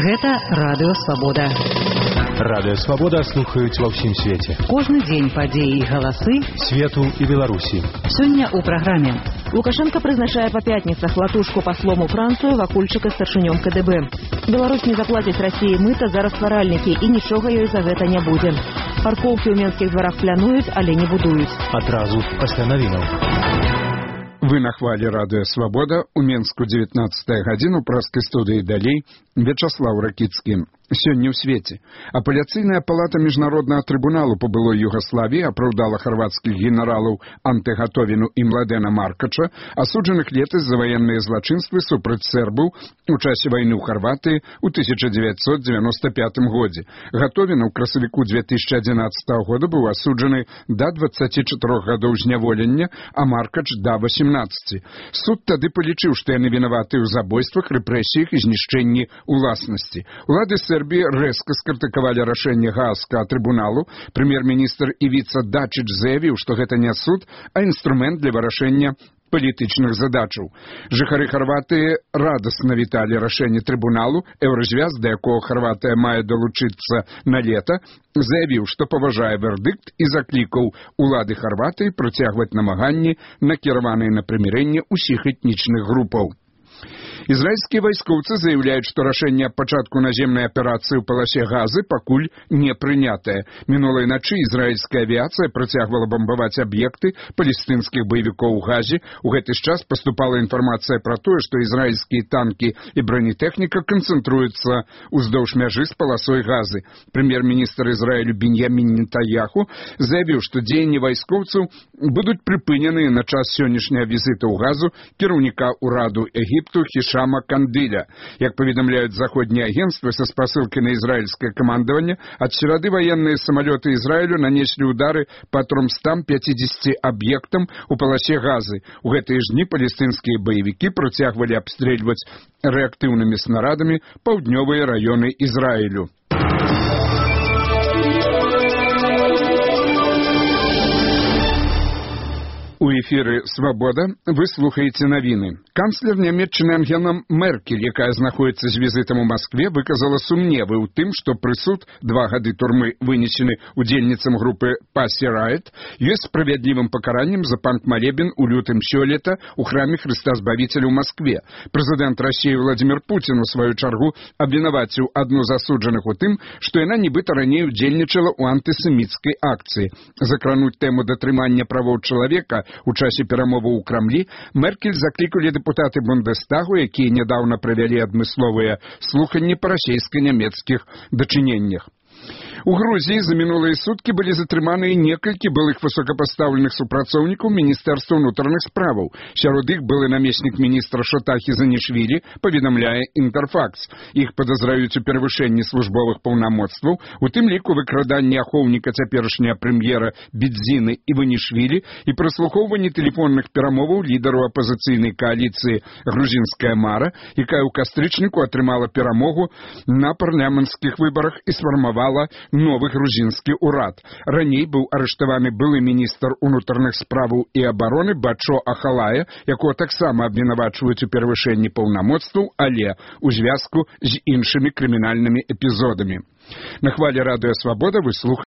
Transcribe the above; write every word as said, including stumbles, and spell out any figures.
Гэта Радыё Свабода. Радыё Свабода слухаюць ва ўсім свеце. Кожны дзень падзеі і галасы свету і Беларусі. Сёння ў праграме. Лукашенко прызначае па пятніцах Латушку паслом у Францыю, Вакульчыка старшынём ка дэ бэ. Беларусь не заплаціць Расіі мыта за растваральнікі і нічога ёй за гэта не будзе. Паркоўкі ў менскіх дварах плануюць, але не будуюць. Адразу пасля навінаў. Вы на хвале Радыё Свабода. У Менску дзевятнаццатая гадзіна, у праскай студыі далей Вячаслаў Ракіцкі. Сёння ў свеце. Апеляцыйная палата Міжнароднага трыбуналу па былой Югаславіі апраўдала харвацкіх генералаў Антэгатовіну і Младена Маркача, асуджаных летась за ваенныя злачынствы супраць сэрбаў у часе вайны ў Харватыі ў тысяча дзевяцьсот дзевяноста пятым годзе. Гатовіна ў красавіку две тысячи адзінаццатага года быў асуджаны да дваццаці чатырох гадоў зняволення, а Маркач да восемнадцаці. Суд тады палічыў, што яны вінаватыя ў забойствах, рэпрэсіях і знішчэнні уласнасці. Улады Сербии резко скритиковали рашение Гаагского трибуналу. Премьер-министр Ивица Дачич заявил, что это не суд, а инструмент для вырашения палітычных задачаў. Жыхары Харватыі радасна віталі рашэнне трыбуналу. Еўразвяз, да якога Харватыя мае далучыцца на лета, заявіў, што паважае вердыкт і заклікаў улады Харватыі працягваць намаганні, накіраваныя на прымірэнне ўсіх этнічных групаў. Израильские войскоўцы заявляют, что рашэнне аб пачатку наземнай аперацыі ў паласе Газы пакуль не прынятае. Мінулай начы израильская авиация працягвала бомбаваць аб'екты палестынскіх баевікоў у Газе. У гэты час поступала информация про тое, что израильские танки и бронетэхніка канцэнтруюцца уздоўж мяжы з паласой Газы. Премьер-министр Израилю Беньямин Нетаньяху заявіў, што дзеянні вайскоўцаў будуць прыпынены на час сённяшняга візіта ў Газу кіраўніка ўраду Егіпту Хишама Кандыля. Як поведомляют заходние агентства со спасылкой на израильское командование, от середы военные самолеты Израилю нанесли удары по трёмстам пятидесяти объектам у полосе Газы. У гэтыя ж дні палестынские боевики працягвалі обстреливать реактивными снарядами паўднёвыя районы Израилю. У эфіры «Свабода» вы слухаеце навіны. Канцлер Нямецчыны Ангела Меркель, якая знаходзіцца з візітам у Маскве, выказала сумневы ў тым, што прысуд два гады турмы, вынесены удзельніцам групы Pussy Riot, ёсць справядлівым пакараннем за панк-малебен у лютым сёлета ў храме Хрыста Збавіцеля ў Маскве. Прэзідэнт Расіі Владзімір Пуцін у сваю чаргу абвінаваціў адну з асуджаных у тым, што яна нібыта раней удзельнічала ў антысеміцкай акцыі. Закрануць тэму датрымання правоў чалавека у часе перамоваў у Крамлі Меркель заклікалі дэпутаты Бундестагу, якія нядаўна правялі адмысловыя слуханні па расійска-нямецкіх дачыненнях. У Грузии за минулые сутки были затрыманыя некалькі былых высокопоставленных супрацоўнікаў Міністэрства ўнутраных справаў. Сярод іх былы намеснік міністра Шотахі Занішвілі, паведамляе Інтэрфакс. Іх падазраюць у перавышэнні службовых паўнамоцтваў, у тым ліку выкраданні ахоўніка цяперашняга прэм'ера Бедзіны Іванішвілі і праслухоўванні тэлефонных перамоваў лідару апазіцыйнай кааліцыі «Грузінская мара», якая ў кастрычніку атрымала перамогу на парламенцкіх выбарах і сфармавала новы грузінскі ўрад. Раней быў арыштаваны былы міністр унутраных справаў і абароны Бачо Ахалая, якого таксама абвінавачваюць у перавышэнні паўнамоцтваў, але ў звязку з іншымі крымінальнымі эпізодамі. На хвале Радыё Свабода вы слухаеце